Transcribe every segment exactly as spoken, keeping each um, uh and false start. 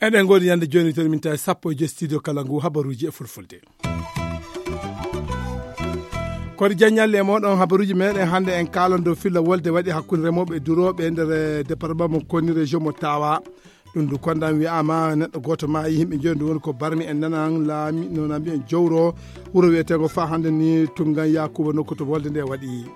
Eɗen ngoodi ñande jooni, toon min tawi sappo e joy studio kala ngu habaruuji e fulfulde. Koɗo jaññalle e mooɗon habaruuji meɗen hannde, en kaalan dow filla wolde waɗi hakkunde remooɓe e durooɓe e nder, eh, département mo Konni, région mo Tawa. Ɗum ndu kondan wi'aama neɗɗo gooto maayi, yimɓe njoyo ndu woni ko barmi en nanan laami, no na mbi'en jowro wuro wiyeteengo fa hannde ni Tunngan Yaakuuba nokku to wolde nde waɗi.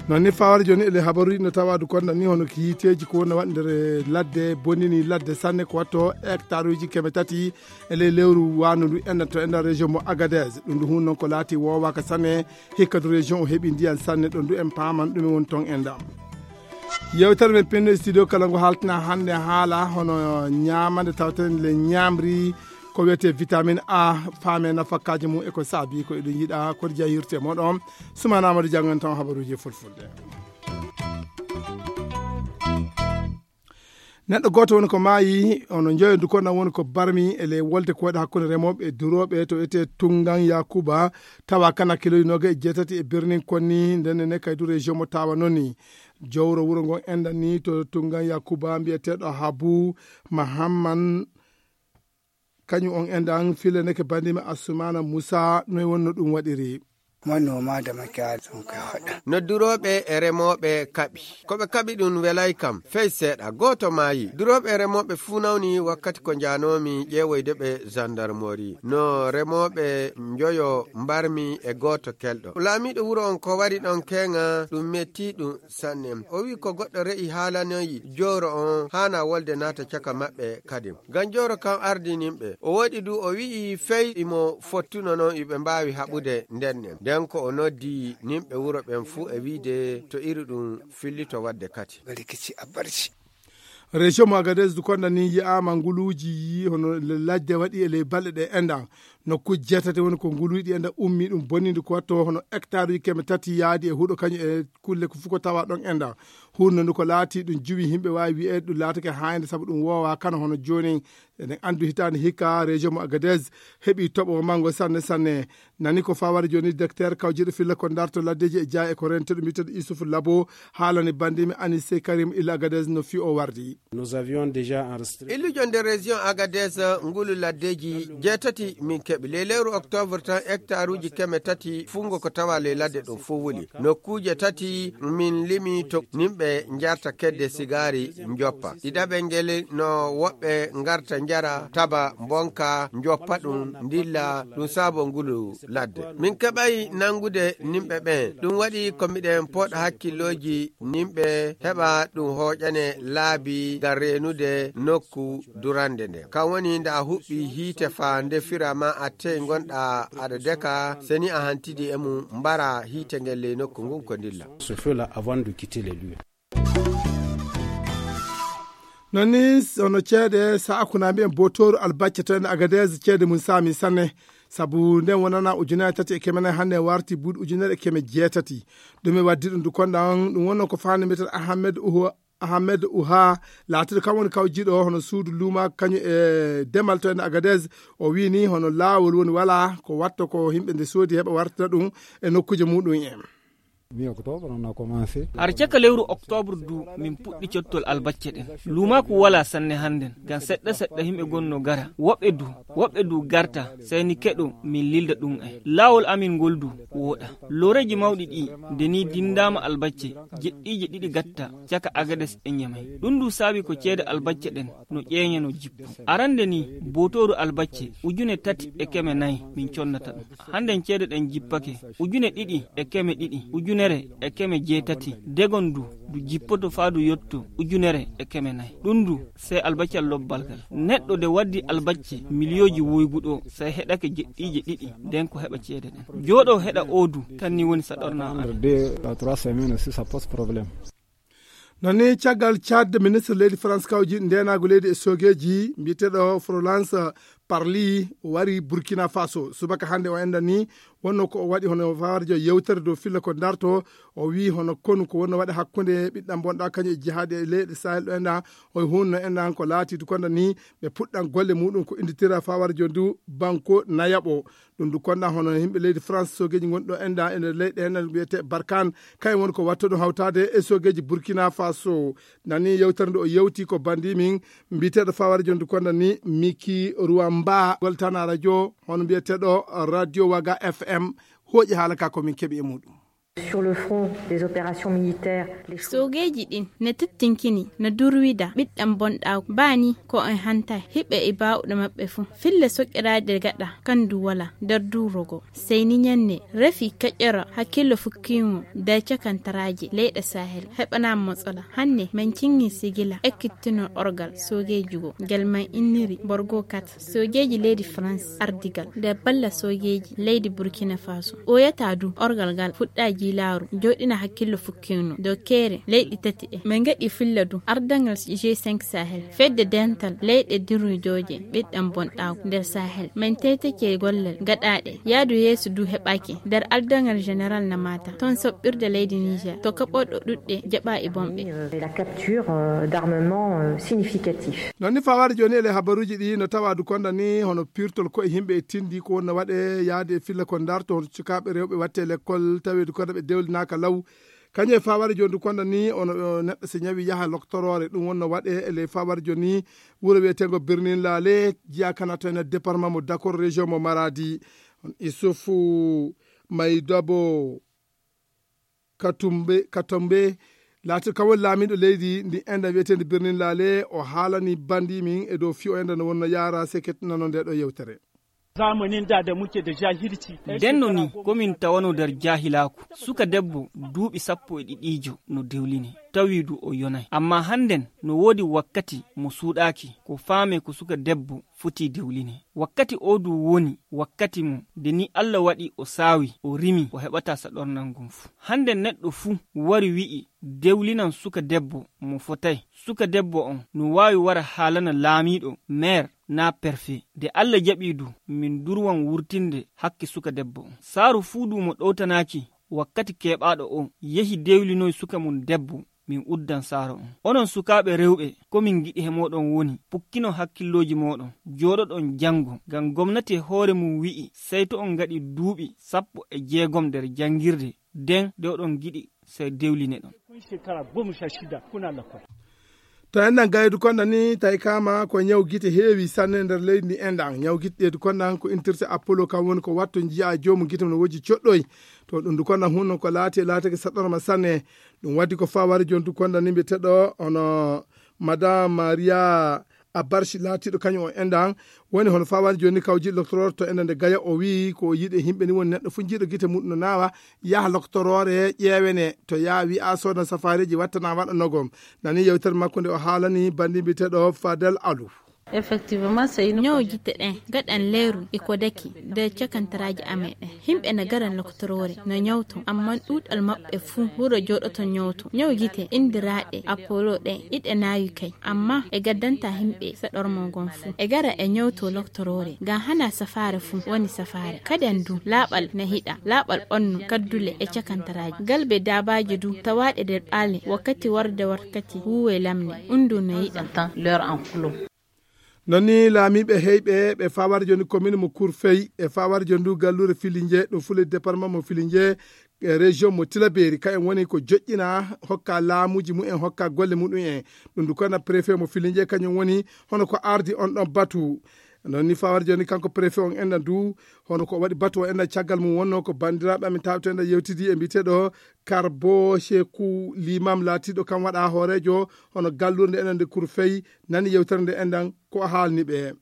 Noon ni fawara jooni ele habaruuji no tawa du kondan ni hono ko yiiteeji ko woni waɗ nder ladde, bonini ladde sanne ko watto hectare uji keme tati e ley lewru waandu ndu enɗan to enɗan région mo Agadez. Ɗum ndu hun noon ko laati woowaaka sanne, hikka du région o heɓi ndiyan sanne ɗon du en paaman ɗum e woni toon enɗan. Yewtere men pinno e studio kala ngo haaltina hannde haala hono ñaamande tawten le ñaamri ko wiyetee vitamine A, faame nafakaaji mum e ko saabi ko eɗen yiɗa koɗo jahirte moɗon. Sumana Amadou janngan tan habaruuji e fulfulde. Neɗɗo gooto woni ko maayi, ono njoyo ndu kondan woni ko barmi e ley wolde ko waɗi hakkunde remooɓe e durooɓe to etee Tunngan Yaakuuba, tawa kana kiloji noogayi e jeetati e birnin Konni, nden ne kay du région mo Tawa noon ni. Jowro wuro ngon enɗan ni to Tunngan Yaakuuba mbiyeteeɗo Habu Mahamman, kañum on enɗan fillaneke banndimi Assumaana Muusa, noy wonno ɗum waɗiri? Manoma da makiyaya sun kai faɗa. No durooɓe e remooɓe kaɓi. Ko ɓe kaɓi ɗum welay kam, fey seeɗa. Gooto maayi. Durooɓe e remooɓe fuu nawni wakkati ko njaanoomi ƴeewoyde ɓe gendarmerie. No remooɓe njoyo mbarmi e gooto kelɗo. Laamiiɗo wuro on ko wari ɗon keeŋa, ɗum metti ɗum sanne. O wi'i ko goɗɗo re'i haalanoyi jooro on haana wolde naata caka maɓɓe kadi. Ngam jooro kan ardinimɓe. O woɗi du o wi'i fey imo fottuno non iɓe mbaawi haɓude nden nden. Nden ko o noddi nimɓe wuro ɓen fuu e wi'de to iri ɗum fillito wadde kati. Bari kici a barci. Région mo Agadez du konda ni yi'aama nguluuji yi hono le-, ladde waɗi e ley balɗe ɗe enɗan. Nokkuuji jeetati woni ko nguluuji ɗi enɗan ummi ɗum bonnindi ko watto hono hectare uji keme tati yaadi e huɗo kañum e kulle ko fuko tawa ɗon enɗan. Hunno ndu ko laati ɗum juwi yimɓe waawi wi'eede ɗum laatake haayde sabu ɗum woowa kana hono jooni. Eɗen anndi hitaande hikka région mo Agadez heɓi toɓo manngo sanne sanne. Nani ko fawara jooni docteur kawjiɗo filla ko darto laddeeji e jaay e ko rente ɗum wi'eteeɗo Issouf Labo haalani banndimi Anissé Karim Ila Agadez no fi o wardi. Nous avions déjà enregistré. Illujo nder région Agadez ngulu laddeeji jeetati min keɓi. Ley lewru octobre tan hectare uji keme tati fungo ko tawa ley ladde ɗum fof wuli. Nokkuuje tati min limi to nimɓe njarta kedde sigaari njoppa. Ɗiɗaɓel ngel no woɓɓe ngarta njara taba mbonka njoppa ɗum ndilla ɗum saabo ngulu ladde. Min keɓay nangude nimɓe ɓen. Ɗum waɗi ko miɗen pooɗa hakkillooji nimɓe heɓa ɗum hooƴane laabi ngam reenude nokku durande nde. Kan woni nde a huɓɓi hiite faa nde fira ma a tey ngonɗa aɗa deka, seni a hantidi e mum mbara hiite ngel ley nokku ngun ko ndilla. Ce feu-là avant de quitter les lieux. Noon ni, hono ceede, sa akkunaa mbiyen botooru albacce to en Agadez, ceede mum saami sanne. Sabu nden wonana ujunere tati e keme nayi, hannde warti buuɗi ujunere e keme jeetati. Ɗum e waddi ɗum du konɗan, ɗum wonno ko faande mbiyeten Ahmed Uhu-, Ahmed Uha, laatiiɗo kam woni kawjiiɗo hono suudu luuma, kañum e demal to en Agadez. O wii ni hono laawol woni walaa, ko watta ko yimɓe nde soodi heɓa wartira ɗum e nokkuuje muɗum en. Mi octobre, on a commencé. Har caka lewru octobre du, min puɗɗi cottol albacce ɗen. Luumaaku walaa sanne hannden, ngam seɗɗa seɗɗa yimɓe gonnoo gara. Woɓɓe du, woɓɓe du garta, sey ni keɗo min lilda ɗum en. Laawol amin ngol du wooɗa. Looreeji mawɗi ɗi, nde ni dindaama albacce, jeɗɗiije ɗiɗi gatta, caka Agades e Ñamey. Ɗum du saabi ko ceede albacce ɗen no ƴeeñe no jippo. Arande ni, bootooru albacce, ujune tati e keme nayi min connata ɗum. Hannden ceede ɗen jippake, ujune ɗiɗi e keme ɗiɗi, ujunere e keme jeetati. Degon du, du jippoto faa du yotto ujunere e keme nayi. Ɗum du, sey albaccal lobbal ngal. Neɗɗo de waddi albacce miliyooji woygu ɗo, sey heɗake jeɗɗiije ɗiɗi, nden ko heɓa ceede ɗen. Jooɗo heɗa oo du, tan ni woni sa ɗorna. Deux à trois semaines aussi, ça pose problème. Noon ni, caggal Tchad, ministre leydi France kawji ndeenaagu leydi e soogeeji, mbiyeteeɗo Florence Parly, o wari Burkina Faso. Subaka hannde o enɗan ni, Wonno ko o waɗi hono fawarjo yewtere dow filla ko darto, o wii hono konu ko wonno waɗa hakkunde ɓiɗɗam bonɗa kañum e jihaade e leyɗe Sahel ɗo enɗa, o hunno enɗa ko laati du konda ni ɓe puɗɗan golle muɗum ko inditira fawarjo ndu banko nayaɓo. Ɗum du konda hono yimɓe leydi France sogeji gonɗo enɗa e nder leyɗe enɗa wiyete Barkan, kayen woni ko watta ɗum hawtade e sogeji Burkina Faso. Nani yewtere nde o yewti ko bandi min mbiyeteɗo fawarjo ndu konda ni Miki Ruwamba goltana radio hono mbiyeteɗo Radio Waga F M. Hooƴi haala ka ko min keɓi e muɗum. Sur le front des opérations militaires, les soogeeji ɗin ne tettinkini no durwida ɓiɗɗam bonɗaaku baani ko en hanta hiɓɓe e baawɗo maɓɓe fuu. Fille soƴƴiraaɗe gaɗa kandu wala nder durogo. Seyni ñanne refi keƴƴoro hakkillo fukkiingo nder cakantaraaji leyɗe Sahel heɓanaama matsala. Hannde men cingi sigila ekkittino orgal soogeeji go ngel man inniri Borgo kat. Soojeeji leydi France ardigal nder balla soojeeji leydi Burkina Faso. Ɓooyataa du orgal ngal fuɗɗa jiilaaru jooɗina hakkillo fukkino dow keere leyɗi tati ɗe. Min ngaɗi filla du ardangal G cinq Sahel, fedde dental leyɗe dirujooje ɓiɗɗam bonɗaaku nder Sahel. Min teytake gollal gaɗaaɗe. Yaadu yeeso du heɓaaki nder ardangal Général Namata, toon soɓɓirde leydi Niger, to kaɓorɗo ɗuɗɗe jaɓa e bomɓe. La capture, euh, d'armements, euh, significatifs. Non ni fawaade jooni ele habaruuji ɗi no tawa du konda ni hono pirtol koye yimɓe e tindi ko wonno waɗe yaade e filla ko darto hono sukaaɓe rewɓe watte lekkol taweedu konda ɓe dewlinaaka law. Kañum e fawaade jooni du konda ni ono, o, neɗɗo so ñawi yaha loktoroore ɗum wonno waɗe ele fawaade jooni wuro wiyetengo Birnin Laale jiya kana to ene département mo Dakor région mo Maradi. On Isufu Maydabo Katumbe, Katombe, laati kam woni laamiiɗo leydi ndi enda wiyeteende Birnin Laale, o haalani bandi min e dow fiyo enda no wonno yaara seket nano nde ɗo yewtere. Zamanin da da muke da jahilci. Ndenno ni komin tawano nder jahilaaku. Suka debbo duuɓi sappo e ɗiɗiijo no dewline, tawi du o yonay. Amma hannden no woodi wakkati mo suuɗaaki, ko faame ko suka debbo foti dewline. Wakkati o du woni wakkati mo nde ni Allah waɗi o saawi, o rimi, o heɓata saɗornal ngun fu. Hande neɗɗo fu wari wi'i dewlinan suka debbo mo fotay. Suka debbo on no waawi wara haalana laamiiɗo, meer, naa perfe. Nde Allah jaɓi du, min durwan wurtinde hakke suka debbo on. Saaru fuu du mo ɗowtanaaki wakkati keɓaaɗo o yehi dewlinoy suka mum debbo, min uddan saaro on. Onon sukaaɓe rewɓe, ko min ngiɗi he mooɗon woni, pukkino hakkillooji mooɗon, jooɗoɗon janngo, ngam gomnati e hoore mum wi'i, sey to on ngaɗi duuɓi sappo e jeegom nder janngirde, den de oɗon ngiɗi sey dewlineɗon. To enɗan gaydu konda ni tawi kama ko ñaw gite heewi sanne nder leydi ndi enɗan. Ñaw gite ɗeedu kondan ko intirte Apollo kam woni ko watto njiya joomu gite no woji coɗɗoy. To ɗum du kondan hunno ko laati e laatake saɗɗorma sanne. Ɗum waddi ko fawari jontu konda ni mbiyeteɗo hono Madame Maria Abarchi laatiɗo kañum o enɗan woni hono fawari joni kawji loktoroore to enɗan nde gaya o wi ko yiɗe himɓe ni woni neɗɗo fu jiiɗo gite muɗum no nawa yaha loktoroore ƴeewene to yaa wi'a sodan safareji wattana waɗa nogom. Nani yewtere makko nde o haalani bandi mbiyeteɗo Fadel Alu. Effectivement, c'est une ñaw gite ɗen gaɗan leeru e ko daki nder cakantaraaji amen ɗen. Himɓe na garan loktoroore na ñawto, amma ɗuuɗal maɓɓe fuu wuro jooɗoto ñawto. Ñaw gite indiraaɗe Apollo ɗen iɗe naawi kay, amma e gaddanta himɓe saɗormo ngon fuu. E gara e ñawto loktoroore, ngam hana safaare fuu woni safaare. Kaden du, laaɓal na hiɗa, laaɓal ɓannu, kaddule e cakantaraaji. Galbe daabaaji du tawaaɗe nder ɓaale wakkati warde wakkati huuwe lamne, undu na yiɗa. Leur enclos. Non ni laamiiɓe heyɓe ɓe fawari joni commune mo Kurfey e fawari joni ndu gallure Filinje, ɗum fule département mo Filinje, e région mo Tilaberi, kayen woni ko joƴƴina hokka laamuji mumen, hokka golle muɗum en. Ɗum ndu kona préfet mo Filinje, kañum woni hono ko ardi on ɗon batu. Non ni fawari joni kanko préfet on enɗan du, hono ko waɗi batu o enɗan caggal mum wonno ko bandiraɓe amin tawto enɗan yewtidi e mbiteɗo Karbo Sheku Limam laatiɗo kam waɗa hoorejo hono gallurde enɗan nde Kurfey, nani yewtere nde enɗan ko o haalni ɓe.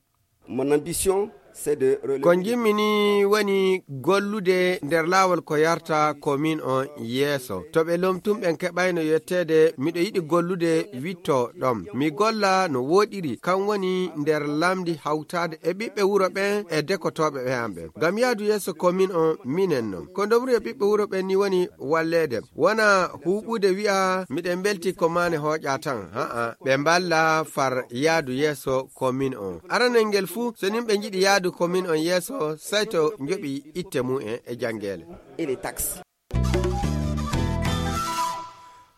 Mon ambition, c'est de relever. Ko njimmi ni woni gollude nder laawol ko yarta commune on yeeso. To ɓe lomtum ɓen keɓayno yetteede, miɗo yiɗi gollude witto ɗon. Mi golla no woɗiri, kan woni nder lamndi hawtaade e ɓiɓɓe wuro ɓen e dekotooɓe ɓe am ɓen. Ngam yaadu yeeso commune on minen non. Ko ndomri e ɓiɓɓe wuro ɓen ni woni walleede. Wona huuɓude wi'a miɗen mbelti ko maane hooƴa tan. Haa, ɓe mballa far yaadu yeeso commune on. Aranel ngel fuu, so nin ɓe njiɗi yaadu Ko min on yeeso, sey to njoɓi itte mum en e janngeele.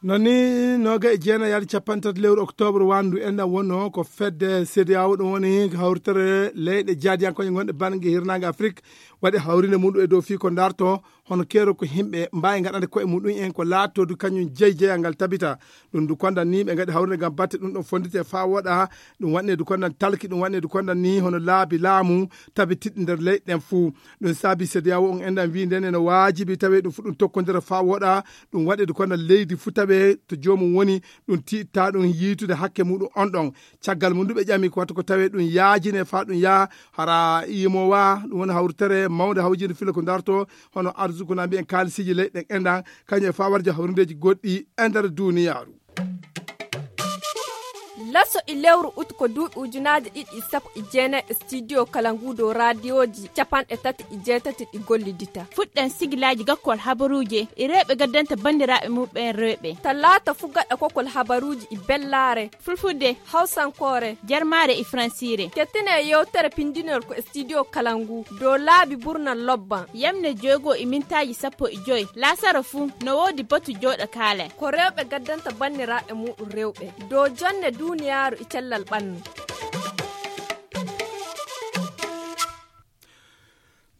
Non ni, nooga e jeenayaari cappanɗe tati lewru oktoobre wanndu en ɗan wonno ko fedde C D A O, ɗum woni hawritere leyɗe jaadiyankooje gonɗe bannge hirnaange Afrik, waɗi hawrinde muɗum e dow fii ko ndarto hono keero ko himɓe mbaawi ngaɗande koye muɗum en ko laatodu kañum jeyi jeyal ngal tabita. Ɗum du kondan ni ɓe ngaɗi hawrinde ngam batte ɗum ɗon fonndite faa woɗa. Ɗum waɗne du kondan talki, ɗum waɗne du kondan ni hono laabi laamu tabitiɗɗi nder leyɗe ɗen fuu. Ɗum saabi C D A O on enɗan wii nden ene waajibi tawee ɗum fu ɗum tokkondira faa woɗa. Ɗum waɗe du kondan leydi fu tawee to joomum woni, ɗum tiitta ɗum yiitude hakke muɗum on ɗon. Caggal mum du ɓe ƴami ko watta ko tawee ɗum yaajine faa ɗum yaa hara yimowa, ɗum woni hawritere mawnde hawjinde filla ko darto hono arzuku na mbiyen kaalisiiji leyɗe ɗen enɗan, kañum e faa warja hawrindeeji goɗɗi e nder duuniyaaru. Laso e lewru ut ko duuɓi ujunaaji ɗiɗi e sappo e jeenayi e studio kala ngu dow raadiyooji capanɗe tati e jeetati ɗi gollidita. Fuɗɗen sigilaaji gakkol habaruuji e rewɓe gaddanta banndiraaɓe muɓɓen rewɓe. Talaata fu gaɗa kokol habaruuji e bellaare. Fulfulde, hawsankoore, jarmaare e fransiire. Kettine yewtere pindinol ko e studio kala ngu dow laabi burnal lobban. Yamne joygo e mintaaji sappo e joy. Laasara fu no woodi batu jooɗa kaale. Ko rewɓe gaddanta banndiraaɓe muɗum rewɓe dow jonne duuniyaaru e cellal ɓannu.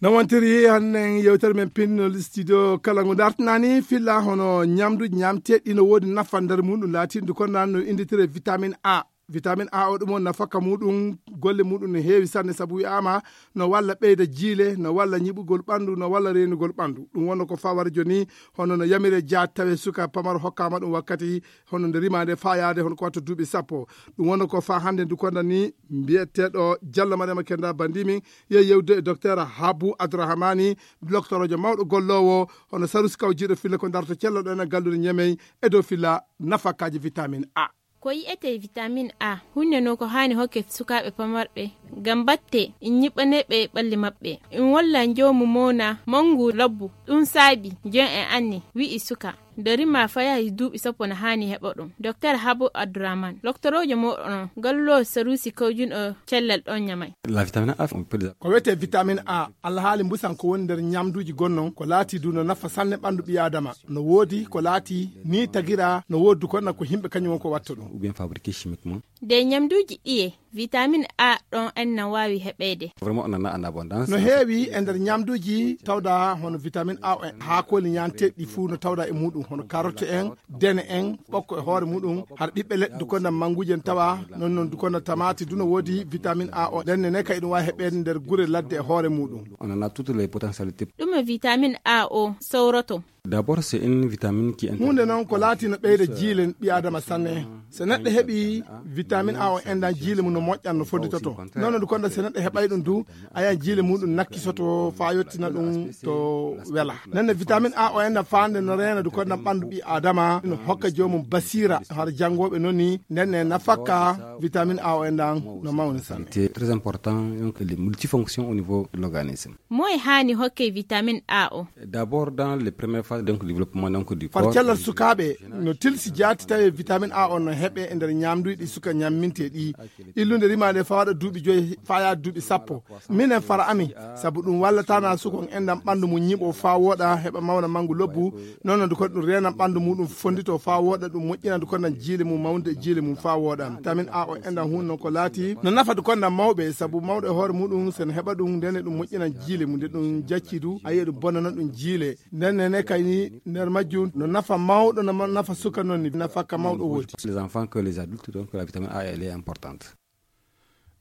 No wontiri hannden yewtere men pinnol studio kala ngu dartinani filla hono ñamduuji ñamteeɗi no woodi nafa nder muɗum laatindu ko nan no innditire vitamine A. Vitamine A o ɗum on nafaka muɗum, golle muɗum no heewi sanne sabu wi'aama no walla ɓeyda jiile, no walla ñiɓugol ɓanndu, no walla reenugol ɓanndu. Ɗum wonno ko fawara joni, hono no yamire jaat tawe suka pamaro hokkaama ɗum wakkati, hono nde rimaande faa yaade hono ko watta duuɓi sappo. Ɗum wonno ko faa hannde ndu konda ni mbiyeteeɗo Jallo Mariama Kenda Bandimin, yo yewde e docteur Habu Abdourahmani, doctoroojo mawɗo golloowo, hono Sarusi Kaw jiiɗo filla ko darto cella ɗo ena gallude Ñamey e dow filla nafakaaji vitamine A. Ko yi'etee vitamine A, huunde no ko haani hokke sukaaɓe pamarɓe, ngam batte in ñiɓɓanee ɓe ɓalli maɓɓe. In walla njoomu mowna manngu labbu. Ɗum saabi, jon en anni, wi'i suka. Nde rima fayahi duuɓi sappo no haani heɓa ɗum. Docteur Habu Abdourahmane, loktoroojo mooɗon on, galluɗo Sarusi kawjunɗo cellal ɗon Ñamey. La vitamine A, on peut les Ko wiyetee vitamine A, alhaali mbusan ko woni nder ñamduuji gonnon, ko laati du no nafa sanne ɓanndu ɓii Aadama. No woodi ko laati ni tagira, no woodi du ko na ko yimɓe kañum won ko watta ɗum. Ou bien fabriqué chimiquement. Nde ñamduuji ɗiye, vitamine A ɗon en na waawi heɓeede. Vraiment, on en a en abondance. No heewi e nder ñamduuji tawda hono vitamine A o en, haakooli ñaanteeɗi fuu no tawda e muɗum, hono karotte en, dene en, ɓokko e hoore muɗum, har ɓiɓɓe leɗɗe du konda mannguuji en tawa, non non du konda tamaati du no woodi vitamine A o. Nden ne kay ɗum waawi heɓeede nder gure ladde e hoore muɗum. On en a toutes les potentialités. Ɗum e vitamine A o sowroto. D'abord, c'est une vitamine qui est Huunde noon ko laati no ɓeyda jiilen ɓii Aadama sanne. So neɗɗo heɓi vitamine A o enɗan jiile mum no moƴƴan no fonditoto. Noon du konda so neɗɗo heɓay ɗum du, ayan jiile muɗum nakkisoto faa yottina ɗum to wela. Nden ne vitamine A o enɗan faande no reena du konda ɓanndu ɓii Aadama, no hokka joomum basiira har janngooɓe noon ni. Nden ne nafakka vitamine A o enɗan no mawni sanne. C'est très important, donc les multifonctions au niveau de l'organisme. Moye haani hokke vitamine A o? D'abord, dans les premières phases, donc, du développement, donc, du Far corps, cellal sukaaɓe no tilsi jaati tawi vitamine A o no heɓe e nder ñamduuji ɗi suka ñammintee ɗi. Illunde rimaande faa waɗa duuɓi joyi faa yaha duuɓi sappo. Minen fara ami, sabu ɗum wallataana suka on enɗan ɓanndu mum ñiɓo faa wooɗa heɓa mawna manngu lobbu. Noon du kon ɗum reenan ɓanndu muɗum fondito faa wooɗa, ɗum moƴƴinan du kondan jiile mum mawnde e jiile mum faa wooɗa. Vitamine A o enɗan huun noon ko laati no nafa du kondan mawɓe, sabu mawɗo e hoore muɗum sen heɓa ɗum, ndene ɗum moƴƴinan jiile mum, nde ɗum jacci du, a yi'a ɗum bonana ɗum jiile. Nden ne kay ni nder majjum no nafa mawɗo, no ma-, nafa suka noon ni nafa ka mawɗo woodi. Les enfants que les adultes, donc la vitamine A, elle est importante.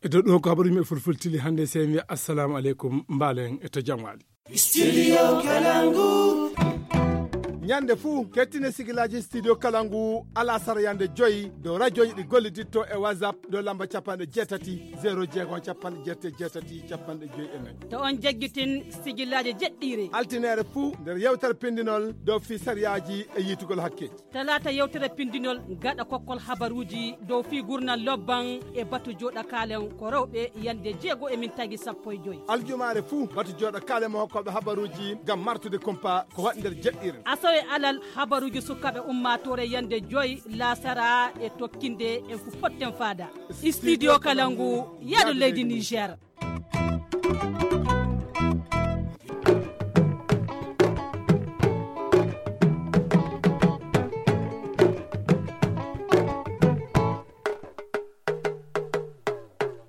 E dow ɗum ko habaru yimɓe fulfultili hannde, sey mi wiya assalamu aleykum, mbaalen e to jam waali. Studio Kalangu. Ñande fuu, kettine sigilaaji Studio Kalangu, alasara yande joyi, dow rajooji ɗi golliditto e WhatsApp, dow lamba capanɗe jeetati, zéro jeego, capanɗe jeetati, jeetati, capanɗe joyi e nayi. To on jaggitin sigilaaji jeɗɗiire. Altineere fuu, nder yewtere pindinol dow fii sariyaaji e yiitugol hakkeeji. Talaata yewtere pindinol gaɗa kokkol habaruuji dow fii gurnal lobban e batu jooɗa kaalen ko rewɓe yande jeego e mintaaji sappo e joy. Aljumaare fuu, batu jooɗa kaalen mo hokkooɓe habaruuji ngam martude kumpa ko waɗi nder jeɗɗiire. Asawe alal habaruuji sukaaɓe ummaatoore yande joy laasara e tokkinde en fu potten faada. Studio Kalangu, yaadu leydi Niger.